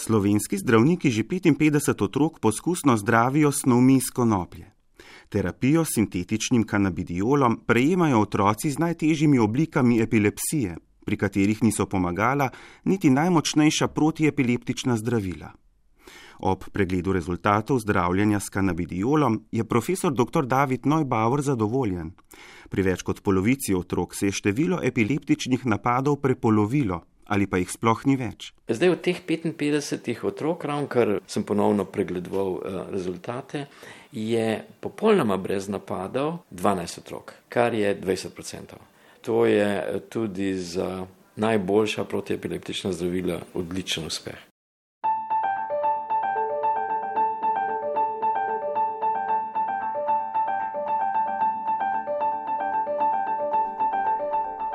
Slovenski zdravniki že 55 otrok poskusno zdravijo s snovmi iz konoplje. Terapijo s sintetičnim kanabidiolom prejemajo otroci z najtežjimi oblikami epilepsije, pri katerih niso pomagala niti najmočnejša protiepileptična zdravila. Ob pregledu rezultatov zdravljenja s kanabidiolom je profesor dr. David Neubauer zadovoljen. Pri več kot polovici otrok se je število epileptičnih napadov prepolovilo, ali pa jih sploh ni več. Zdaj od teh 55 otrok, ravnokar sem ponovno pregledoval rezultate, je popolnoma brez napadov 12 otrok, kar je 20%. To je tudi za najboljša protiepileptična zdravila odličen uspeh.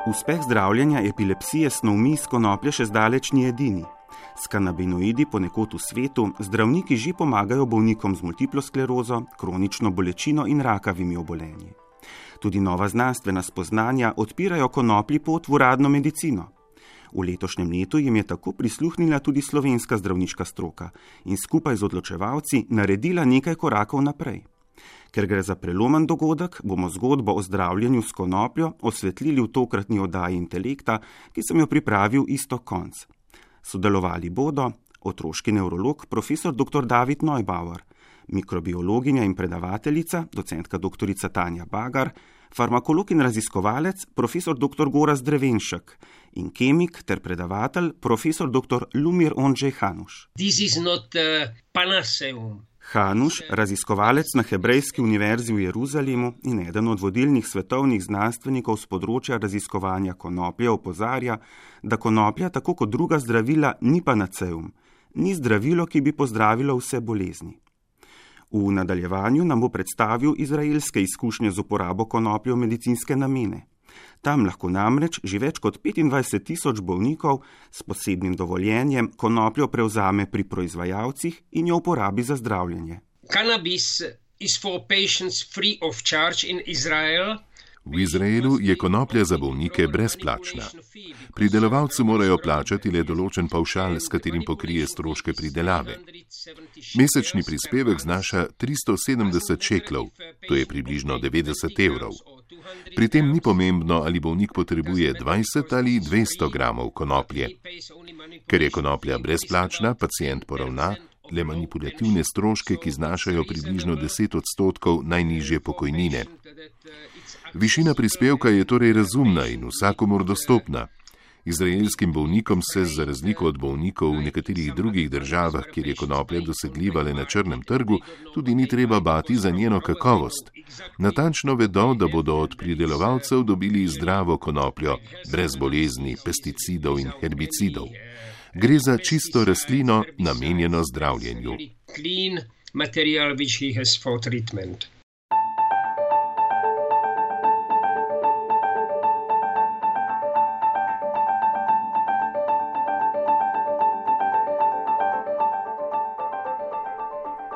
Uspeh zdravljenja epilepsije s snovmi iz konoplje še zdaleč ni edini. S kanabinoidi ponekod v svetu zdravniki že pomagajo bolnikom z multiplo sklerozo, kronično bolečino in rakavimi obolenji. Tudi nova znanstvena spoznanja odpirajo konoplji pot v uradno medicino. V letošnjem letu jim je tako prisluhnila tudi slovenska zdravniška stroka in skupaj z odločevalci naredila nekaj korakov naprej. Ker gre za prelomen dogodek, bomo zgodbo o zdravljenju s konopljo osvetlili v tokratni oddaji Intelekta, ki sem jo pripravil Iztok Konc. Sodelovali bodo otroški nevrolog profesor dr. David Neubauer, mikrobiologinja in predavateljica docentka dr. Tanja Bagar, farmakolog in raziskovalec profesor dr. Gorazd Drevenšek in kemik ter predavatelj profesor dr. Lumir Ondřej Hanuš. This is not Panaceum. Hanuš, raziskovalec na Hebrejski univerzi v Jeruzalemu in eden od vodilnih svetovnih znanstvenikov z področja raziskovanja konoplje, opozarja, da konoplja, tako kot druga zdravila, ni panaceum, ni zdravilo, ki bi pozdravilo vse bolezni. V nadaljevanju nam bo predstavil izraelske izkušnje z uporabo konoplje v medicinske namene. Tam lahko namreč že več kot 25,000 bolnikov s posebnim dovoljenjem konopljo prevzame pri proizvajalcih in jo uporabi za zdravljenje. Cannabis is for patients free of charge in Israel. V Izraelu je konoplja za bolnike brezplačna. Pridelovalci morajo plačati le določen pavšal, s katerim pokrije stroške pridelave. Mesečni prispevek znaša 370 šeklov, to je približno 90 evrov. Pri tem ni pomembno, ali bolnik potrebuje 20 ali 200 gramov konoplje. Ker je konoplja brezplačna, pacient poravna le manipulativne stroške, ki znašajo približno 10% najnižje pokojnine. Višina prispevka je torej razumna in vsakomur dostopna. Izraelskim bolnikom se, za razliko od bolnikov v nekaterih drugih državah, kjer je konoplja dosegljiva le na črnem trgu, tudi ni treba bati za njeno kakovost. Natančno vedo, da bodo od pridelovalcev dobili zdravo konopljo, brez bolezni, pesticidov in herbicidov. Gre za čisto rastlino, namenjeno zdravljenju.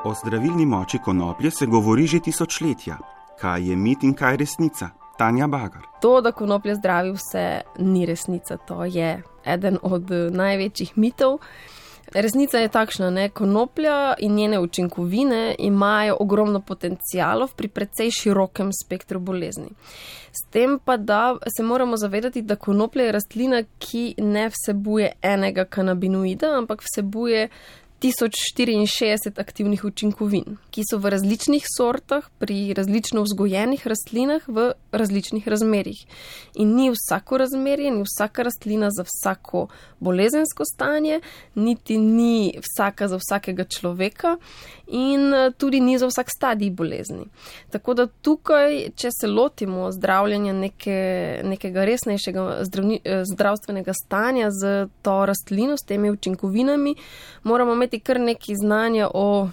O zdravilni moči konoplje se govori že tisočletja. Kaj je mit in kaj resnica? Tanja Bagar. To, da konoplja zdravi vse, ni resnica. To je eden od največjih mitov. Resnica je takšna, konoplja in njene učinkovine imajo ogromno potencialov pri precej širokem spektru bolezni. S tem pa, da se moramo zavedati, da konoplja je rastlina, ki ne vsebuje enega kanabinoida, ampak vsebuje 1064 aktivnih učinkovin, ki so v različnih sortah, pri različno vzgojenih rastlinah v različnih razmerjih. In ni vsako razmerje, ni vsaka rastlina za vsako bolezensko stanje, niti ni vsaka za vsakega človeka in tudi ni za vsak stadij bolezni. Tako da tukaj, če se lotimo zdravljenja nekega resnejšega zdravstvenega stanja z to rastlino, s temi učinkovinami, moramo imeti kar nekaj znanja o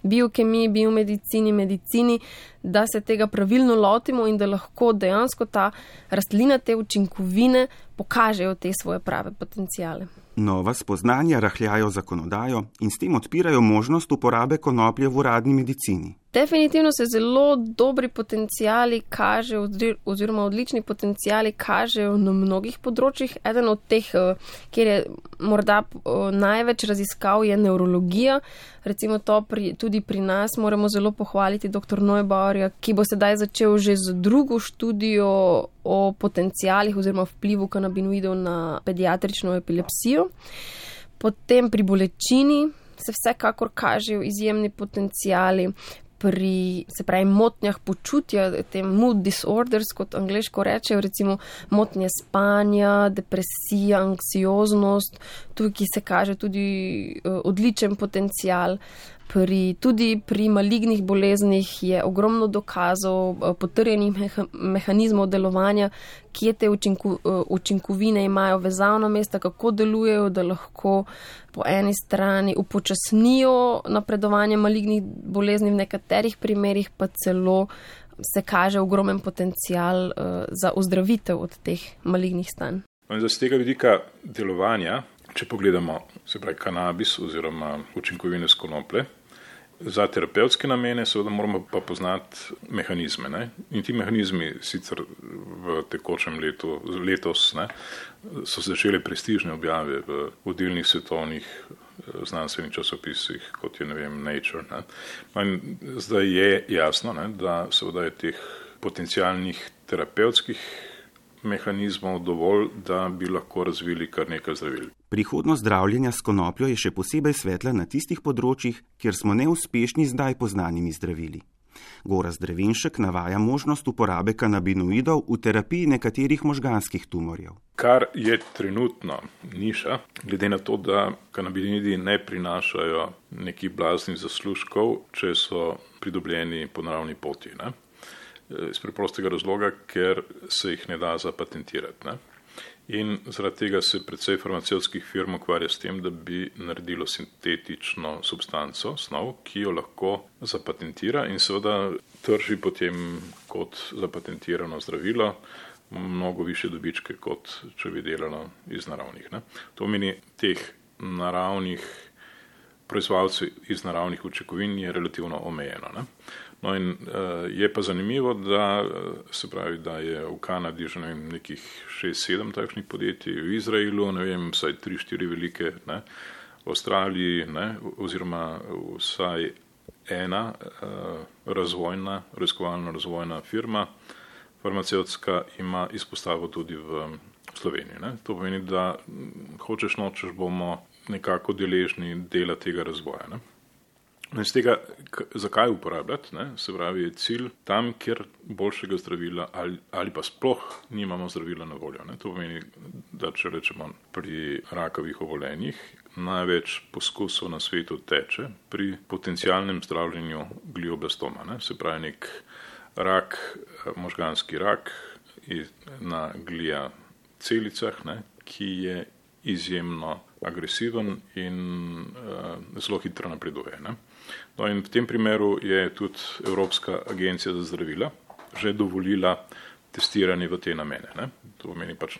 biokemiji, biomedicini, medicini, da se tega pravilno lotimo in da lahko dejansko ta rastlina, te učinkovine pokažejo te svoje prave potencijale. Nova spoznanja rahljajo zakonodajo in s tem odpirajo možnost uporabe konoplje v uradni medicini. Definitivno se zelo dobri potencijali kažejo oziroma odlični potencijali kažejo na mnogih področjih. Eden od teh, kjer je morda največ raziskav, je nevrologija. Recimo to tudi pri nas moramo zelo pohvaliti dr. Neubauerja, ki bo sedaj začel že z drugo študijo o potencijalih oziroma vplivu kanabinoidov na pediatrično epilepsijo. Potem pri bolečini se vsekakor kažejo izjemni potencijali. Pri, se pravi, motnjah počutja, tem mood disorders, kot angleško rečejo, recimo motnje spanja, depresija, anksioznost, tukaj se kaže tudi odličen potencial. Tudi pri malignih boleznih je ogromno dokazov, potrjenih mehanizmov delovanja, kje te učinkovine imajo vezavna mesta, kako delujejo, da lahko po eni strani upočasnijo napredovanje malignih bolezni, v nekaterih primerih pa celo se kaže ogromen potencial za ozdravitev od teh malignih stanj. Z tega vidika delovanja, če pogledamo, se pravi kanabis oziroma učinkovine s konoplje, za terapevtske namene seveda moramo pa poznati mehanizme. Ne? In ti mehanizmi sicer v tekočem letos so začele prestižne objave v vodilnih svetovnih znanstvenih časopisih, kot je Nature. Ne? In zdaj je jasno, da seveda je teh potencialnih terapevtskih mehanizmov dovolj, da bi lahko razvili kar nekaj zdravil. Prihodnost zdravljenja s konopljo je še posebej svetla na tistih področjih, kjer smo neuspešni zdaj poznanimi zdravili. Gorazd Drevenšek navaja možnost uporabe kanabinoidov v terapiji nekaterih možganskih tumorjev. Kar je trenutno niša, glede na to, da kanabinoidi ne prinašajo nekih blaznih zaslužkov, če so pridobljeni po naravni poti. Iz preprostega razloga, ker se jih ne da zapatentirati. In zaradi tega se precej farmacevtskih firm ukvarja s tem, da bi naredilo sintetično substanco, snov, ki jo lahko zapatentira in seveda trži potem kot zapatentirano zdravilo mnogo više dobičke, kot če bi delalo iz naravnih. To meni teh naravnih proizvajalcev iz naravnih učinkovin je relativno omejeno. No in je pa zanimivo, da se pravi, da je v Kanadi že nekih 6-7 takšnih podjetij, v Izraelu, vsaj 3-4 velike, v Avstraliji, oziroma vsaj ena raziskovalno razvojna firma farmacevtska ima izpostavo tudi v Sloveniji. To pomeni, da hočeš nočeš bomo nekako deležni dela tega razvoja. In z tega, zakaj uporabljati, se pravi, je cilj tam, kjer boljšega zdravila ali pa sploh nimamo zdravila na voljo. To pomeni, da če rečemo pri rakavih obolenjih, največ poskusov na svetu teče pri potencialnem zdravljenju glioblastoma. Se pravi, nek rak, možganski rak na glija celicah, ki je izjemno agresiven in zelo hitro napreduje. No in v tem primeru je tudi Evropska agencija za zdravila že dovolila testiranje v te namene. To pomeni pač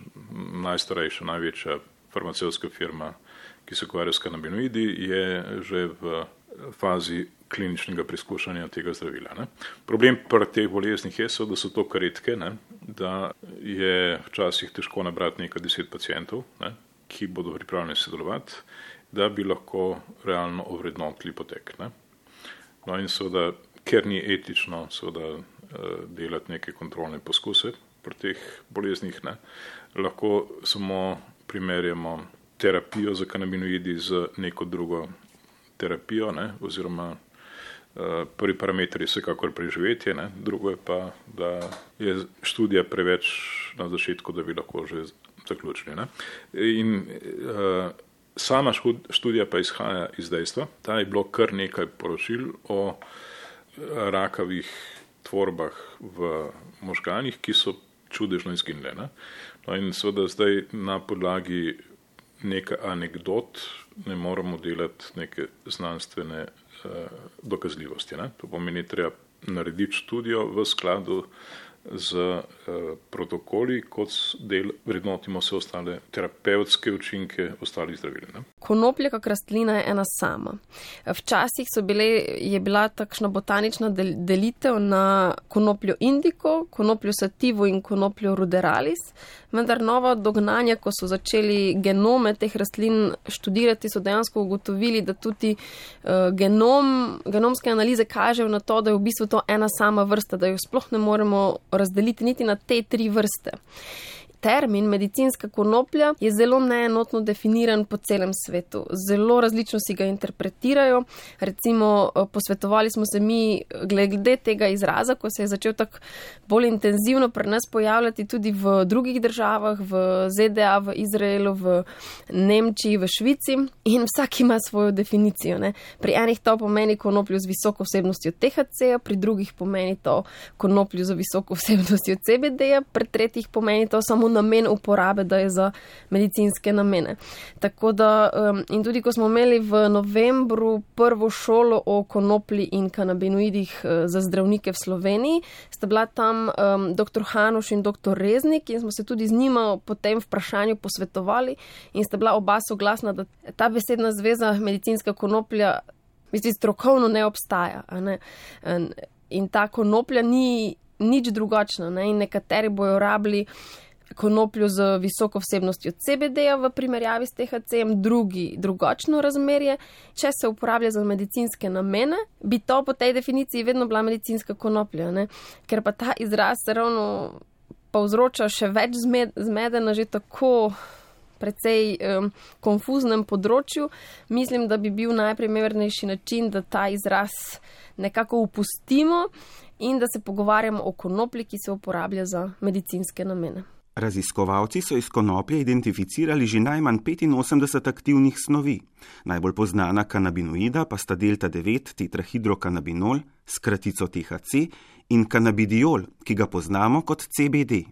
najstarejša, največja farmacevtska firma, ki se ukvarja s kanabinoidi, je že v fazi kliničnega preizkušanja tega zdravila. Problem pri teh boleznih je, da so to redke, da je včasih težko nabrati nekaj 10 pacientov, ki bodo pripravljeni sodelovati, da bi lahko realno ovrednotili potek. No in seveda, ker ni etično delati neke kontrolne poskuse pri teh boleznih, lahko samo primerjamo terapijo za kanabinoidi z neko drugo terapijo, oziroma prvi parameter je vsekakor preživetje, drugo je pa, da je študija preveč na začetku, da bi lahko že zaključili. In sama študija pa izhaja iz dejstva, da je bilo kar nekaj poročil o rakavih tvorbah v možganih, ki so čudežno izginile. No in seveda zdaj na podlagi nekaj anekdot ne moramo delati neke znanstvene dokazljivosti. Ne? To pomeni, treba narediti študijo v skladu z protokoli, kot del vrednotimo vse ostale terapevtske učinke ostalih zdravil. Ne? Konoplja kot rastlina je ena sama. Včasih je bila takšna botanična delitev na konopljo indigo, konopljo sativa in konopljo ruderalis, vendar nova dognanja, ko so začeli genome teh rastlin študirati, so dejansko ugotovili, da tudi genomske analize kažejo na to, da je v bistvu to ena sama vrsta, da jo sploh ne moremo razdeliti niti na te 3 vrste. Termin medicinska konoplja je zelo neenotno definiran po celem svetu. Zelo različno si ga interpretirajo. Recimo, posvetovali smo se mi glede tega izraza, ko se je začel tako bolj intenzivno pri nas pojavljati tudi v drugih državah, v ZDA, v Izraelu, v Nemčiji, v Švici in vsak ima svojo definicijo. Ne? Pri enih to pomeni konopljo z visoko vsebnostjo THC-ja, pri drugih pomeni to konopljo z visoko vsebnostjo CBD-ja, pri tretjih pomeni to samo namen uporabe, da je za medicinske namene. Tako da, in tudi ko smo imeli v novembru prvo šolo o konoplji in kanabinoidih za zdravnike v Sloveniji, sta bila tam dr. Hanuš in dr. Reznik in smo se tudi z njima po tem vprašanju posvetovali in sta bila oba soglasna, da ta besedna zveza medicinska konoplja strokovno ne obstaja. Ne? In ta konoplja ni nič drugačna. Ne? In nekateri bojo rabili konopljo z visoko vsebnostjo CBD-ja v primerjavi s THC-jem, drugi drugačno razmerje. Če se uporablja za medicinske namene, bi to po tej definiciji vedno bila medicinska konoplja. Ne? Ker pa ta izraz se ravno povzroča še več zmede na že tako precej konfuznem področju. Mislim, da bi bil najprimernejši način, da ta izraz nekako upustimo in da se pogovarjamo o konoplji, ki se uporablja za medicinske namene. Raziskovalci so iz konoplje identificirali že najmanj 85 aktivnih snovi. Najbolj poznana kanabinoida pa sta delta-9 tetrahidrokanabinol s kratico THC in kanabidiol, ki ga poznamo kot CBD.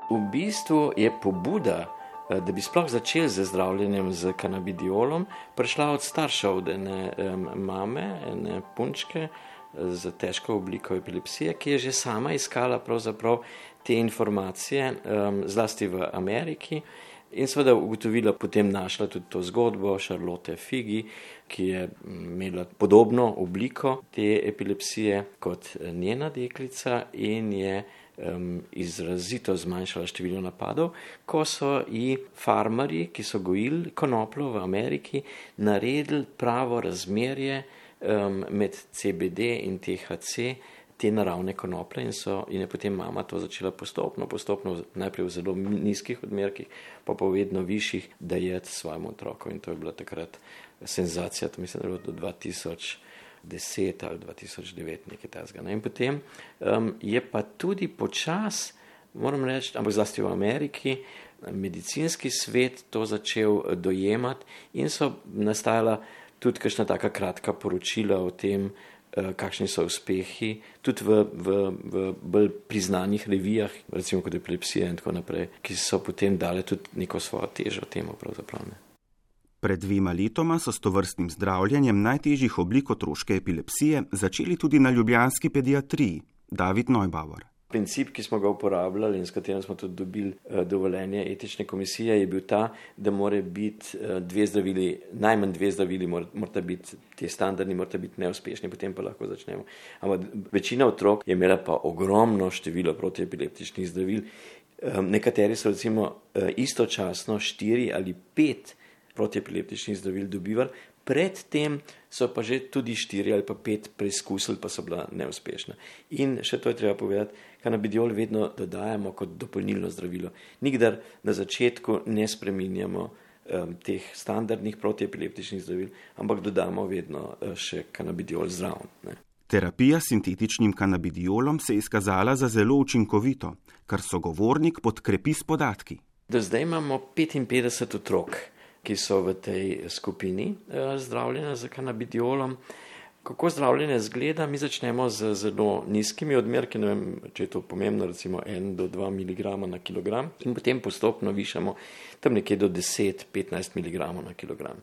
V bistvu je pobuda, da bi sploh začeli z zdravljenjem z kanabidiolom, prišla od staršev, od ene mame, ene punčke z težko obliko epilepsije, ki je že sama iskala pravzaprav te informacije, zlasti v Ameriki, in seveda ugotovila, potem našla tudi to zgodbo Charlotte Figi, ki je imela podobno obliko te epilepsije kot njena deklica in je izrazito zmanjšala število napadov, ko so ji farmarji, ki so gojili konopljo v Ameriki, naredili pravo razmerje med CBD in THC, te naravne konoplje, in je potem mama to začela postopno, najprej v zelo nizkih odmerkih, pa vedno višjih, dajati svojemu otroku. In to je bila takrat senzacija, to mislim, da je bilo do 2010 ali 2009, nekaj takega. In potem je pa tudi počas, moram reči, ampak zlasti v Ameriki, medicinski svet to začel dojemati in so nastajala tudi kakšna taka kratka poročila o tem, kakšni so uspehi, tudi v bolj priznanih revijah, recimo kot epilepsija in tako naprej, ki so potem dale tudi neko svojo težo temu pravzaprav. Pred 2 letoma so s tovrstnim zdravljenjem najtežjih oblik otroške epilepsije začeli tudi na ljubljanski pediatriji. David Neubauer. Princip, ki smo ga uporabljali in s katerim smo tudi dobili dovoljenje etične komisije, je bil ta, da mora biti najmanj 2 zdravili, morata biti ti standardni, morata biti neuspešni, potem pa lahko začnemo. Ampak večina otrok je imela pa ogromno število protiepileptičnih zdravil. Nekateri so recimo istočasno 4 ali 5 protiepileptičnih zdravil dobivali, predtem so pa že tudi 4 ali pa 5 preizkusili, pa so bila neuspešna. In še to je treba povedati, kanabidiol vedno dodajamo kot dopolnilno zdravilo. Nikdar na začetku ne spreminjamo teh standardnih protiepileptičnih zdravil, ampak dodamo vedno še kanabidiol zraven. Terapija s sintetičnim kanabidiolom se je izkazala za zelo učinkovito, kar sogovornik podkrepi s podatki. Do zdaj imamo 55 otrok, ki so v tej skupini zdravljena z kanabidiolom. Kako zdravljenje zgleda? Mi začnemo z zelo nizkimi odmerki, ne vem, če je to pomembno, recimo 1 do 2 mg na kilogram, in potem postopno višamo tam nekje do 10-15 mg na kilogram,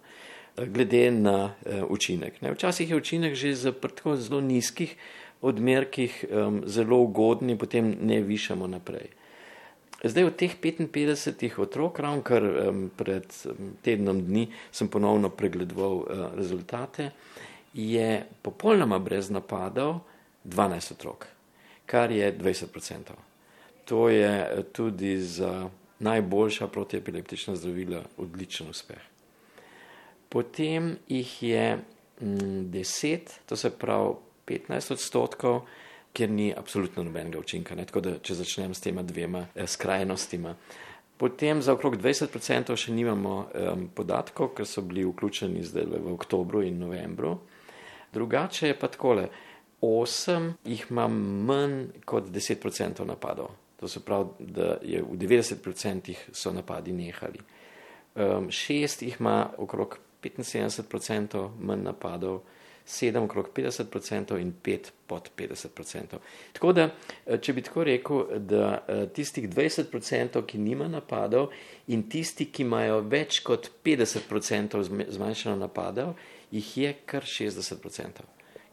glede na učinek. Včasih je učinek že za tako zelo nizkih odmerkih zelo ugodni, potem ne višamo naprej. Zdaj od teh 55 otrok, ravnokar pred tednom dni sem ponovno pregledoval rezultate, je popolnoma brez napadov 12 otrok, kar je 20%. To je tudi za najboljša protiepileptična zdravila odličen uspeh. Potem jih je 10, to se pravi 15%, kjer ni absolutno nobenega učinka, ne? Tako da če začnem s tema dvema skrajnostima. Potem za okrog 20% še nimamo podatkov, ker so bili vključeni zdaj v oktobru in novembru. Drugače je pa takole, 8 jih ima manj kot 10% napadov. To se pravi, da je v 90% so napadi nehali. 6 jih ima okrog 75% manj napadov, 7 okrog 50% in 5 pod 50%. Tako da, če bi tako rekel, da tistih 20%, ki nima napadov, in tisti, ki imajo več kot 50% zmanjšano napadov, jih je kar 60%,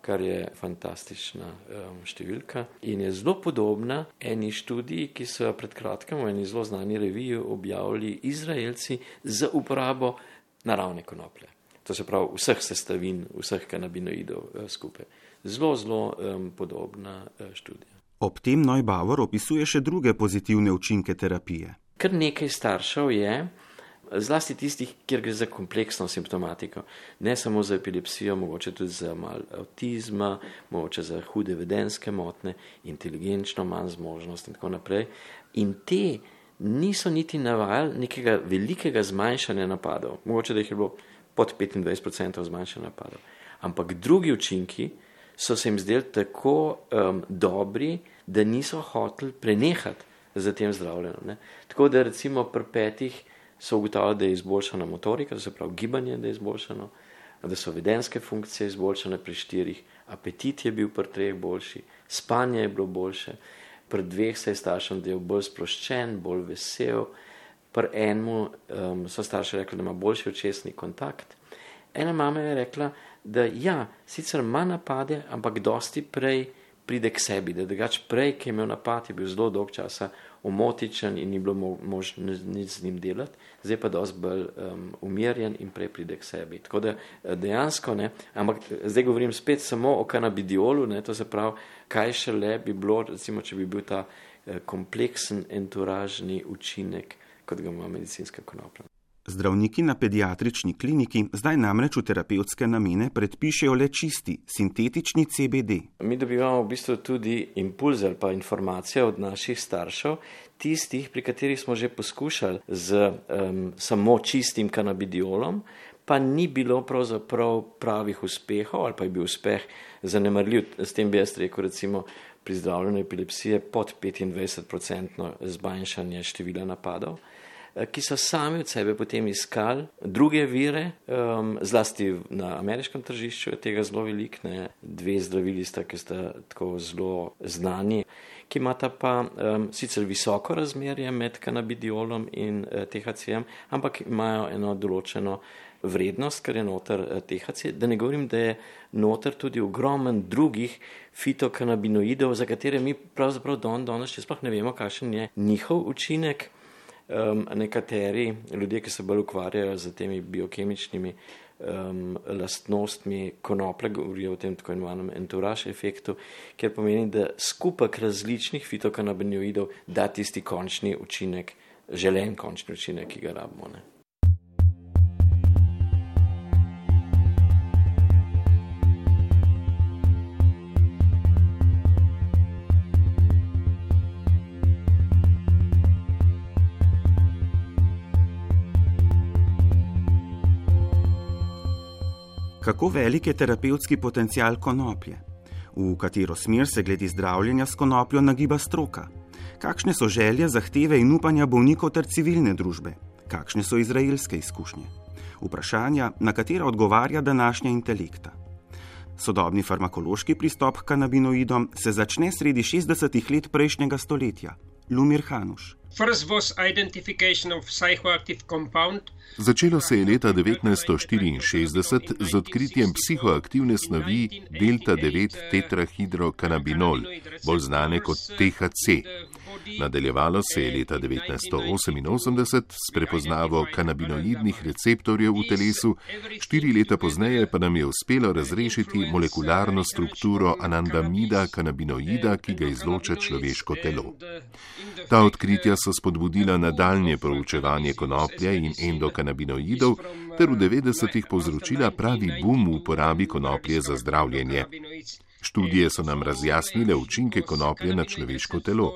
kar je fantastična številka in je zelo podobna eni študiji, ki so pred kratkim v eni zelo znani reviji objavili Izraelci za uporabo naravne konoplje. To se pravi vseh sestavin, vseh kanabinoidov skupaj. Zelo podobna študija. Ob tem Neubauer opisuje še druge pozitivne učinke terapije. Kar nekaj staršev je, zlasti tistih, kjer gre za kompleksno simptomatiko, ne samo za epilepsijo, mogoče tudi za malo avtizma, mogoče za hude vedenjske motnje, inteligenčno manj zmožnost in tako naprej. In te niso niti navajali nekega velikega zmanjšanja napadov, mogoče da jih je bilo pod 25% zmanjšanja napadov. Ampak drugi učinki so se jim zdeli tako dobri, da niso hoteli prenehati za tem zdravljenjem. Tako da recimo pri 5 so ugotavljali, da je izboljšana motorika, to se pravi gibanje, da je izboljšano, da so vedenjske funkcije izboljšane pri 4, apetit je bil pri 3 boljši, spanje je bilo boljše, pri 2 se je staršem del bolj sproščen, bolj vesel, pri enemu so starši rekli, da ima boljši očesni kontakt. Ena mama je rekla, da ja, sicer ima napade, ampak dosti prej pride k sebi, da drugače prej, ki je imel napad, je bil zelo dolg časa omotičen in ni bilo možno nič z njim delati, zdaj pa dosti bolj umirjen in prej pride k sebi. Tako da dejansko, ne, ampak zdaj govorim spet samo o kanabidiolu, ne, to se pravi, kaj šele bi bilo, recimo, če bi bil ta kompleksen enturažni učinek, kot ga ima medicinska konoplja. Zdravniki na pediatrični kliniki zdaj namreč v terapevtske namene predpišejo le čisti, sintetični CBD. Mi dobivamo v bistvu tudi impulze ali pa informacije od naših staršev, tistih, pri katerih smo že poskušali z samo čistim kanabidiolom, pa ni bilo pravzaprav pravih uspehov ali pa je bil uspeh zanemarljiv. S tem bi jaz rekel, recimo, pri zdravljenju epilepsije pod 25% zmanjšanje števila napadov, ki so sami od sebe potem iskali druge vire, zlasti na ameriškem tržišču je tega zelo veliko, 2 zdravili sta, ki sta tako zelo znani, ki imata pa sicer visoko razmerje med kanabidiolom in THC-jem, ampak imajo eno določeno vrednost, ker je noter THC, da ne govorim, da je noter tudi ogromen drugih fitokanabinoidov, za katere mi pravzaprav danes še sploh ne vemo, kakšen je njihov učinek. Nekateri ljudje, ki se bolj ukvarjajo z temi biokemičnimi lastnostmi konoplje, govorijo o tem tako imenovanem entourage efektu, kjer pomeni, da skupek različnih fitokanabinoidov da tisti končni učinek, želen končni učinek, ki ga rabimo. Ne? Kako velik je terapevtski potencial konoplje? V katero smer se glede zdravljenja s konopljo nagiba stroka? Kakšne so želje, zahteve in upanja bolnikov ter civilne družbe? Kakšne so izraelske izkušnje? Vprašanja, na katera odgovarja današnja intelekta. Sodobni farmakološki pristop k kanabinoidom se začne sredi 60. let prejšnjega stoletja. Lumir Hanuš. Začelo se je leta 1964 z odkritjem psihoaktivne snovi delta-9 tetrahidrokanabinol, bolj znane kot THC. Nadaljevalo se je leta 1988 s prepoznavo kanabinoidnih receptorjev v telesu, 4 leta pozneje pa nam je uspelo razrešiti molekularno strukturo anandamida kanabinoida, ki ga izloča človeško telo. Ta odkritja so spodbudila nadaljnje proučevanje konoplje in endokanabinoidov ter v 90-ih povzročila pravi boom v uporabi konoplje za zdravljenje. Študije so nam razjasnile učinke konoplje na človeško telo.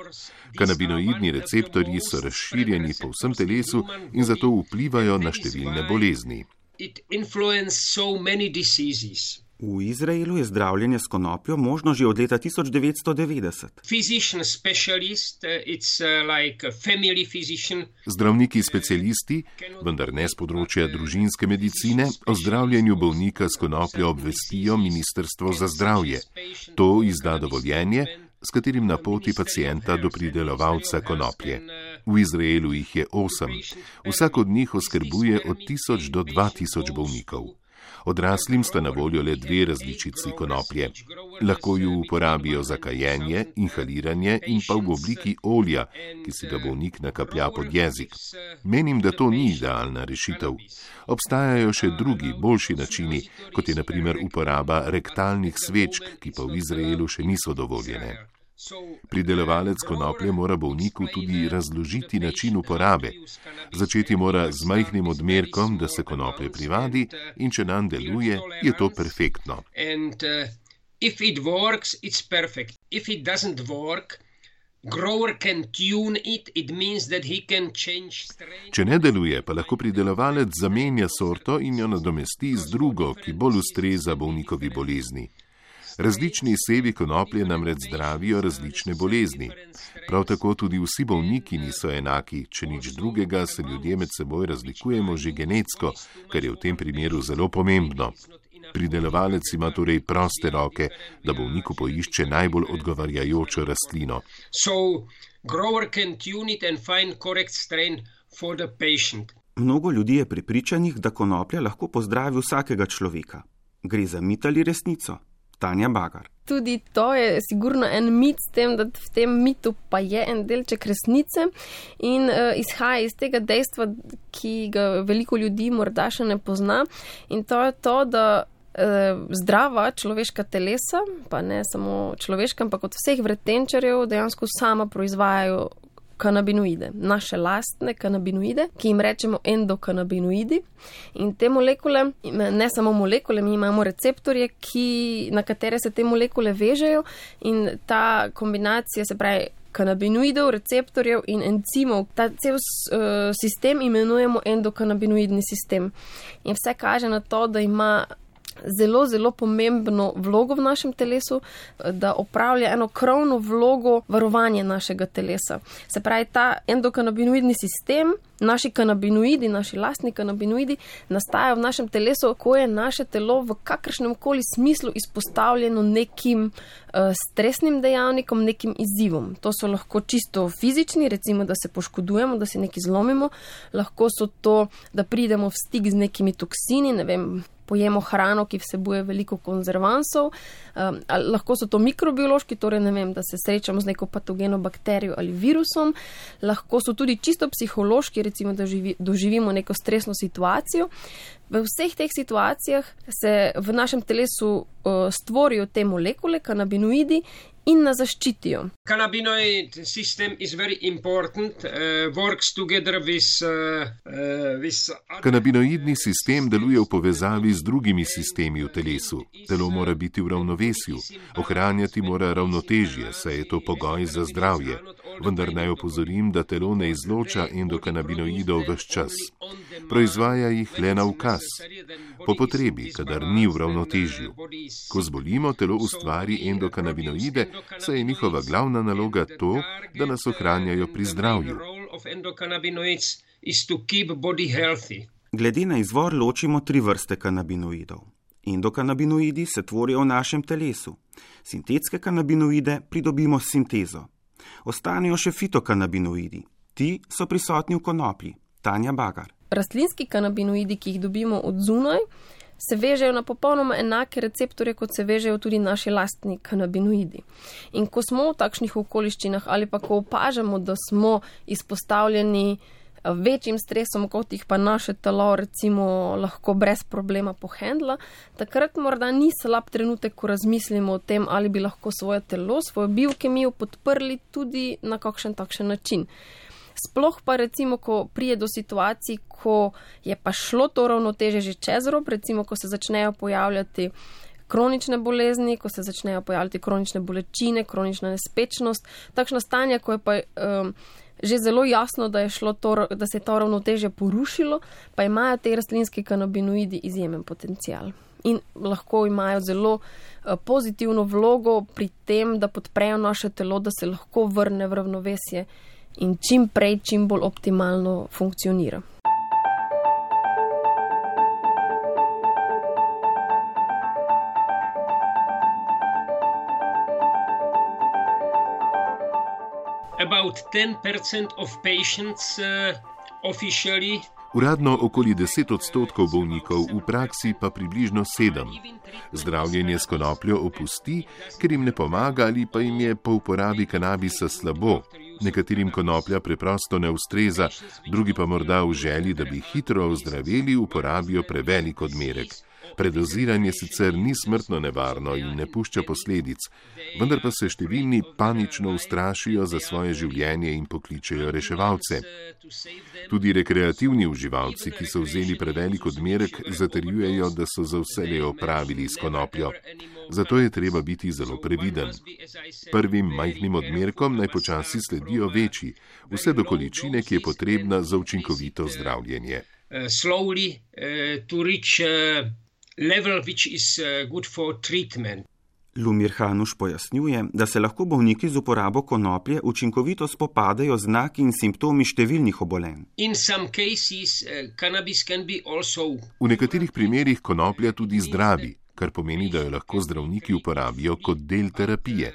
Kanabinoidni receptorji so razširjeni po vsem telesu in zato vplivajo na številne bolezni. V Izraelu je zdravljenje s konopljo možno že od leta 1990. Zdravniki specialisti, vendar ne z področja družinske medicine, o zdravljenju bolnika s konopljo obvestijo Ministrstvo za zdravje. To izda dovoljenje, s katerim napoti pacienta do pridelovalca konoplje. V Izraelu jih je 8. Vsak od njih oskrbuje od 1000 do 2000 bolnikov. Odraslim sta na voljo le 2 različici konoplje. Lahko ju uporabijo za kajenje, inhaliranje in pa v obliki olja, ki si ga bolnik nakaplja pod jezik. Menim, da to ni idealna rešitev. Obstajajo še drugi, boljši načini, kot je na primer uporaba rektalnih svečk, ki pa v Izraelu še niso dovoljene. Pridelovalec konoplje mora bolniku tudi razložiti način uporabe. Začeti mora z majhnim odmerkom, da se konoplje privadi, in če nam deluje, je to perfektno. Če ne deluje, pa lahko pridelovalec zamenja sorto in jo nadomesti z drugo, ki bolj ustreza bolnikovi bolezni. Različni sevi konoplje namreč zdravijo različne bolezni. Prav tako tudi vsi bolniki niso enaki, če nič drugega se ljudje med seboj razlikujemo že genetsko, kar je v tem primeru zelo pomembno. Pridelovalec ima torej proste roke, da bolniku poišče najbolj odgovarjajočo rastlino. Mnogo ljudi je prepričanih, da konoplja lahko pozdravi vsakega človeka. Gre za mit ali resnico? Tanja Bagar. Tudi to je sigurno en mit s tem, da v tem mitu pa je en delček resnice in izhaja iz tega dejstva, ki ga veliko ljudi morda še ne pozna, in to je to, da zdrava človeška telesa, pa ne samo človeška, ampak od vseh vretenčarjev dejansko sama proizvajajo kanabinoide, naše lastne kanabinoide, ki jim rečemo endokanabinoidi. In te molekule, ne samo molekule, mi imamo receptorje, na katere se te molekule vežejo, in ta kombinacija, se pravi kanabinoidov, receptorjev in encimov, ta cel sistem imenujemo endokanabinoidni sistem. In vse kaže na to, da ima zelo, zelo pomembno vlogo v našem telesu, da opravlja eno krovno vlogo varovanja našega telesa. Se pravi, ta endokanabinoidni sistem, naši kanabinoidi, naši lastni kanabinoidi nastajajo v našem telesu, ko je naše telo v kakršnem koli smislu izpostavljeno nekim stresnim dejavnikom, nekim izzivom. To so lahko čisto fizični, recimo, da se poškodujemo, da si nekaj zlomimo, lahko so to, da pridemo v stik z nekimi toksini, ne vem, pojemo hrano, ki vsebuje veliko konzervansov, lahko so to mikrobiološki, torej ne vem, da se srečamo z neko patogeno bakterijo ali virusom, lahko so tudi čisto psihološki, recimo, da doživimo neko stresno situacijo. V vseh teh situacijah se v našem telesu stvorijo te molekule, kanabinoidi, in nas zaščitijo. Cannabinoid system is very important, works together with Kanabinoidni sistem deluje v povezavi z drugimi sistemi v telesu. Telo mora biti v ravnovesju, ohranjati mora ravnotežje, saj je to pogoj za zdravje. Vendar naj opozorim, da telo ne izloča endokanabinoidov ves čas. Proizvaja jih le na ukaz, po potrebi, kadar ni v ravnotežju. Ko zbolimo, telo ustvari endokanabinoide, saj je njihova glavna naloga to, da nas ohranjajo pri zdravju. Glede na izvor ločimo 3 vrste kanabinoidov. Endokanabinoidi se tvorijo v našem telesu. Sintetske kanabinoide pridobimo s sintezo. Ostanejo še fitokanabinoidi. Ti so prisotni v konoplji. Tanja Bagar. Rastlinski kanabinoidi, ki jih dobimo od zunaj, se vežejo na popolnoma enake receptorje, kot se vežejo tudi naši lastni kanabinoidi. In ko smo v takšnih okoliščinah ali pa ko opažamo, da smo izpostavljeni večjim stresom, kot jih pa naše telo recimo lahko brez problema pohendla, takrat morda ni slab trenutek, ko razmislimo o tem, ali bi lahko svoje telo, svojo biokemijo podprli tudi na kakšen takšen način. Sploh pa recimo, ko prije do situacij, ko je pa šlo to ravnoteže že čez rob, recimo, ko se začnejo pojavljati kronične bolezni, ko se začnejo pojavljati kronične bolečine, kronična nespečnost, takšna stanja, ko je pa že zelo jasno, da se je to ravnoteže porušilo, pa imajo te rastlinski kanabinoidi izjemen potencial. In lahko imajo zelo pozitivno vlogo pri tem, da podprejo naše telo, da se lahko vrne v ravnovesje in čim prej, čim bolj optimalno funkcionira. About 10% of patients officially. Uradno okoli 10% bolnikov, v praksi pa približno 7%. Zdravljenje s konopljo opusti, ker jim ne pomaga ali pa jim je po uporabi kanabisa slabo. Nekaterim konoplja preprosto ne ustreza, drugi pa morda v želji, da bi hitro ozdraveli, uporabijo prevelik odmerek. Predoziranje sicer ni smrtno nevarno in ne pušča posledic, vendar pa se številni panično ustrašijo za svoje življenje in pokličejo reševalce. Tudi rekreativni uživalci, ki so vzeli prevelik odmerek, zatrjujejo, da so za vselej opravili s konopljo. Zato je treba biti zelo previden. Prvim majhnim odmerkom naj počasi sledijo večji, vse do količine, ki je potrebna za učinkovito zdravljenje. Level which is good for treatment. Lumir Hanuš pojasnjuje, da se lahko bolniki z uporabo konoplje učinkovito spopadajo z znaki in simptomi številnih obolenj. V nekaterih primerih konoplja tudi zdravi, kar pomeni, da jo lahko zdravniki uporabijo kot del terapije.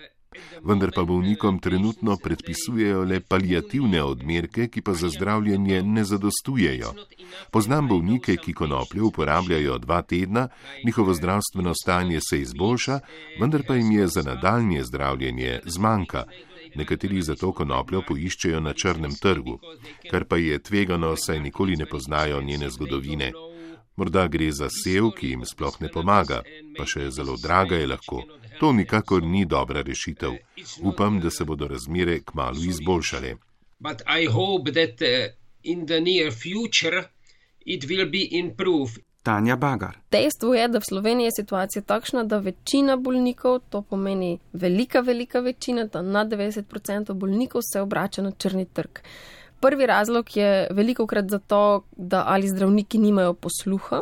Vendar pa bolnikom trenutno predpisujejo le paliativne odmerke, ki pa za zdravljenje ne zadostujejo. Poznam bolnike, ki konopljo uporabljajo 2 tedna, njihovo zdravstveno stanje se izboljša, vendar pa jim je za nadaljnje zdravljenje zmanjka. Nekateri zato konopljo poiščejo na črnem trgu, kar pa je tvegano, saj nikoli ne poznajo njene zgodovine. Morda gre za sev, ki jim sploh ne pomaga, pa še zelo draga je lahko. To nikakor ni dobra rešitev. Upam, da se bodo razmere kmalu izboljšale. Tanja Bagar. Dejstvo je, da v Sloveniji je situacija takšna, da večina bolnikov, to pomeni velika večina, da nad 90% bolnikov se obrača na črni trg. Prvi razlog je velikokrat zato, da ali zdravniki nimajo posluha,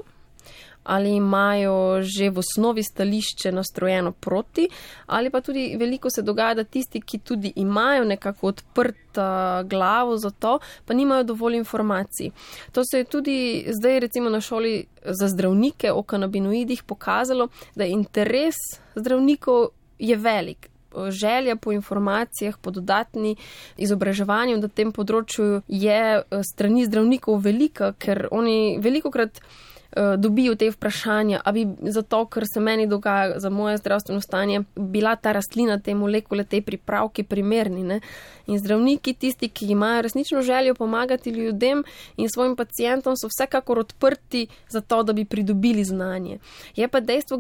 ali imajo že v osnovi stališče nastrojeno proti, ali pa tudi veliko se dogaja, da tisti, ki tudi imajo nekako odprta glavo za to, pa nimajo dovolj informacij. To se je tudi zdaj recimo na šoli za zdravnike o kanabinoidih pokazalo, da interes zdravnikov je velik. Želja po informacijah, po dodatni izobraževanju na tem področju je strani zdravnikov velika, ker oni velikokrat dobijo te vprašanja, a bi zato, ker se meni dogaja za moje zdravstveno stanje, bila ta rastlina, te molekule, te pripravki primerni, ne? In zdravniki, tisti, ki imajo resnično željo pomagati ljudem in svojim pacientom, so vsekakor odprti za to, da bi pridobili znanje. Je pa dejstvo,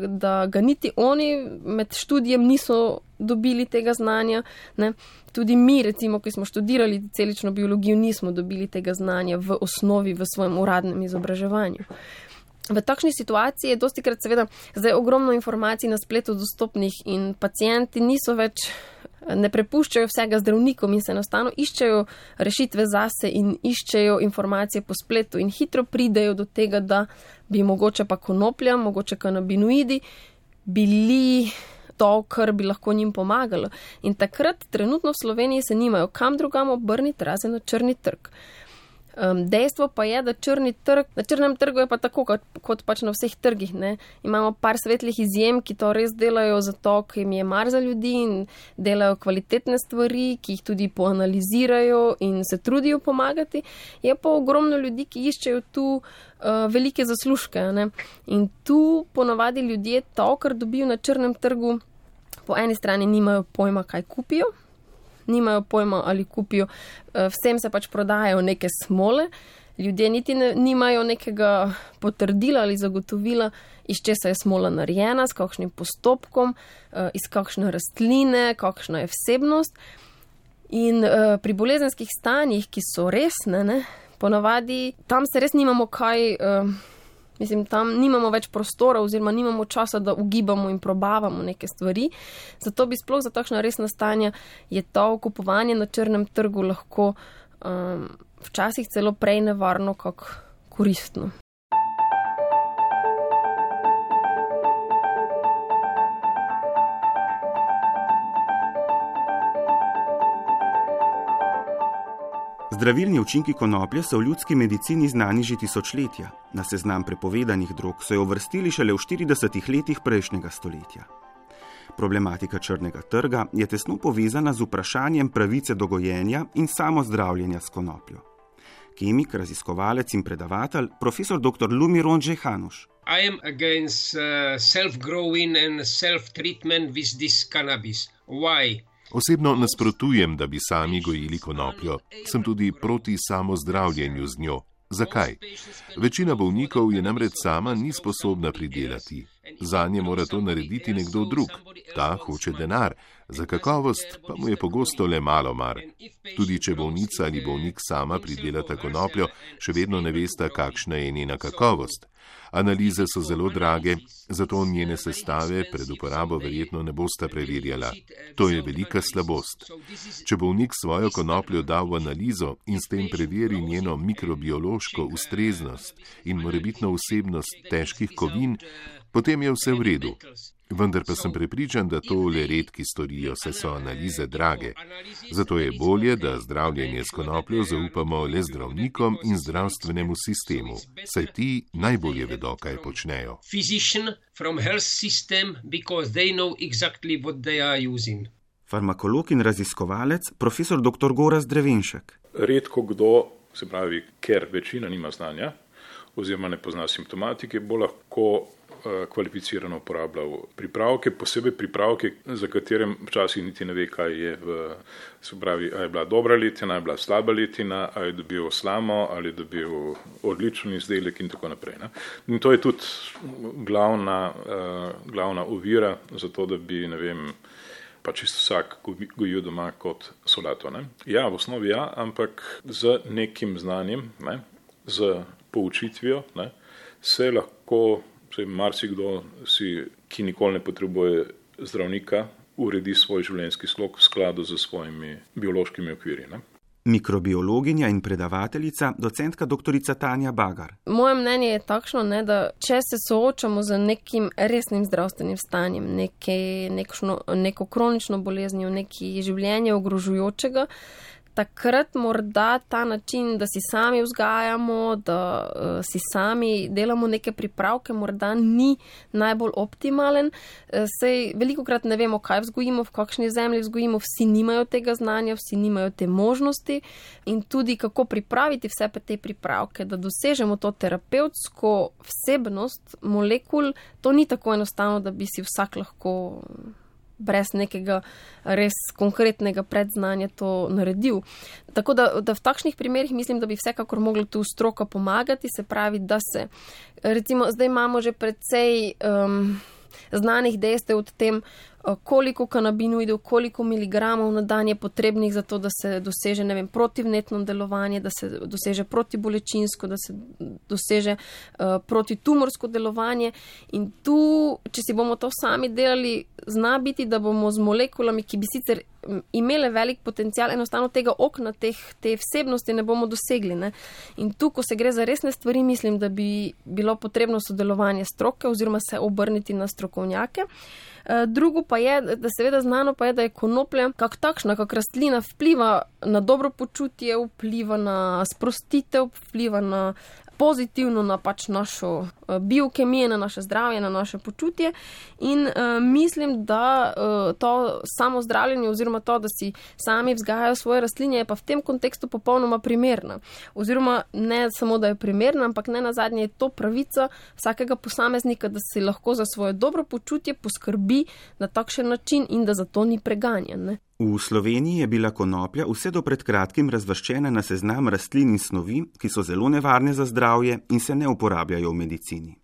da ga niti oni med študijem niso dobili tega znanja, ne? Tudi mi, recimo, ki smo študirali celično biologijo, nismo dobili tega znanja v osnovi, v svojem uradnem izobraževanju. V takšni situaciji je dostikrat seveda zdaj ogromno informacij na spletu dostopnih in pacienti niso več, ne prepuščajo vsega zdravnikom in se enostavno iščejo rešitve zase in iščejo informacije po spletu in hitro pridejo do tega, da bi mogoče pa konoplja, mogoče kanabinoidi bili to, kar bi lahko njim pomagalo. In takrat trenutno v Sloveniji se nimajo kam drugam obrniti, razen na črni trg. Dejstvo pa je, da na črnem trgu je pa tako, kot pač na vseh trgih, ne. Imamo par svetlih izjem, ki to res delajo zato, ker jim je mar za ljudi in delajo kvalitetne stvari, ki jih tudi poanalizirajo in se trudijo pomagati. Je pa ogromno ljudi, ki iščejo tu velike zaslužke, ne. In tu ponavadi ljudje to, kar dobijo na črnem trgu, po eni strani nimajo pojma, kaj kupijo, nimajo pojma, ali kupijo, vsem se pač prodajajo neke smole, ljudje niti nimajo nekega potrdila ali zagotovila, iz česa je smola narejena, s kakšnim postopkom, iz kakšne rastline, kakšna je vsebnost. In pri bolezenskih stanjih, ki so resne, ne, ponavadi tam se res nimamo kaj, tam nimamo več prostora oziroma nimamo časa, da ugibamo in probavamo neke stvari. Zato bi sploh za takšna resna stanja je to kupovanje na črnem trgu lahko včasih celo prej nevarno, kak koristno. Zdravilni učinki konoplje so v ljudski medicini znani že tisočletja. Na seznam prepovedanih drog so jo uvrstili šele v 40 letih prejšnjega stoletja. Problematika črnega trga je tesno povezana z vprašanjem pravice do gojenja in samozdravljenja s konopljo. Kemik, raziskovalec in predavatelj, profesor dr. Lumiron Džehanuš. I am against self-growing and self-treatment with this cannabis. Why? Osebno nasprotujem, da bi sami gojili konopljo. Sem tudi proti samozdravljenju z njo. Zakaj? Večina bolnikov je namreč sama ni sposobna pridelati. Zanje mora to narediti nekdo drug. Ta hoče denar, za kakovost pa mu je pogosto le malo mar. Tudi če bolnica ali bolnik sama pridelata konopljo, še vedno ne vesta, kakšna je njena kakovost. Analize so zelo drage, zato njene sestave pred uporabo verjetno ne bosta preverjala. To je velika slabost. Če bolnik svojo konopljo da v analizo in s tem preveri njeno mikrobiološko ustreznost in morebitno vsebnost težkih kovin, potem je vse v redu. Vendar pa sem prepričan, da to le redki storijo, saj so analize drage. Zato je bolje, da zdravljenje s konopljo zaupamo le zdravnikom in zdravstvenemu sistemu, saj ti najbolje vedo, kaj počnejo. Farmakolog in raziskovalec, profesor dr. Gorazd Drevenšek. Redko kdo, se pravi, ker večina nima znanja oziroma ne pozna simptomatike, bo lahko kvalificirano uporabljal pripravke, posebej pripravke, za katerem včasih niti ne ve, kaj je se pravi, ali je bila dobra letina, ali je bila slaba letina, ali je dobil slamo, ali je dobil odličen izdelek in tako naprej. Ne? In to je tudi glavna ovira za to, da bi, ne vem, pa čisto vsak gojil doma kot solato. Ne? Ja, v osnovi ja, ampak z nekim znanjem, ne, z poučitvijo, ne, se lahko marsikdo, ki nikoli ne potrebuje zdravnika, uredi svoj življenjski slog v skladu z svojimi biološkimi okviri. Ne? Mikrobiologinja in predavateljica, docentka doktorica Tanja Bagar. Moje mnenje je takšno, ne, da če se soočamo z nekim resnim zdravstvenim stanjem, neko kronično boleznijo, nekaj življenje ogrožujočega, takrat morda ta način, da si sami vzgajamo, da si sami delamo neke pripravke, morda ni najbolj optimalen. Sej velikokrat ne vemo, kaj vzgojimo, v kakšni zemlji vzgojimo, vsi nimajo tega znanja, vsi nimajo te možnosti in tudi kako pripraviti vse te pripravke, da dosežemo to terapevtsko vsebnost molekul, to ni tako enostavno, da bi si vsak lahko brez nekega res konkretnega predznanja to naredil. Tako da v takšnih primerih mislim, da bi vsekakor mogla tu stroka pomagati, se pravi, da se, recimo, zdaj imamo že precej znanih dejstev o tem, koliko kanabinoidov, koliko miligramov na dan je potrebnih za to, da se doseže, ne vem, protivnetno delovanje, da se doseže protibolečinsko, da se doseže protitumorsko delovanje. In tu, če si bomo to sami delali, zna biti, da bomo z molekulami, ki bi sicer imele velik potencial, enostavno tega okna, te vsebnosti ne bomo dosegli. Ne? In tu, ko se gre za resne stvari, mislim, da bi bilo potrebno sodelovanje stroke oziroma se obrniti na strokovnjake. Drugo pa je, da seveda znano pa je, da je konoplja kak takšna, kak rastlina vpliva na dobro počutje, vpliva na sprostitev, vpliva na pozitivno na pač našo biokemijo, na naše zdravje, na naše počutje in mislim, da to samo zdravljenje oziroma to, da si sami vzgajajo svoje rastline, je pa v tem kontekstu popolnoma primerna. Oziroma ne samo, da je primerna, ampak ne nazadnje je to pravica vsakega posameznika, da si lahko za svoje dobro počutje poskrbi na takšen način in da zato ni preganjan. Ne? V Sloveniji je bila konoplja vse do pred kratkim razvrščena na seznam rastlin in snovi, ki so zelo nevarne za zdravje in se ne uporabljajo v medicini.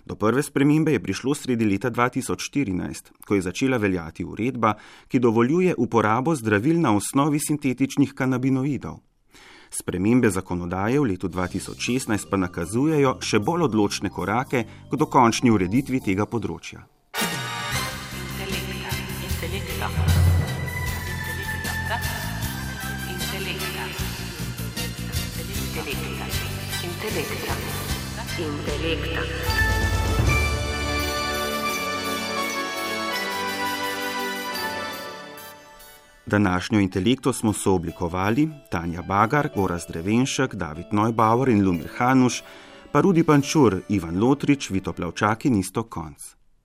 Do prve spremembe je prišlo sredi leta 2014, ko je začela veljati uredba, ki dovoljuje uporabo zdravil na osnovi sintetičnih kanabinoidov. Spremembe zakonodaje v letu 2016 pa nakazujejo še bolj odločne korake k dokončni ureditvi tega področja. Intelekta. Današnjo Intelekto smo sooblikovali Tanja Bagar, Gorazd Drevenšek, David Neubauer in Lumir Hanuš, pa Rudi Pančur, Ivan Lotrič, Vito Plavčak in Iztok Konc.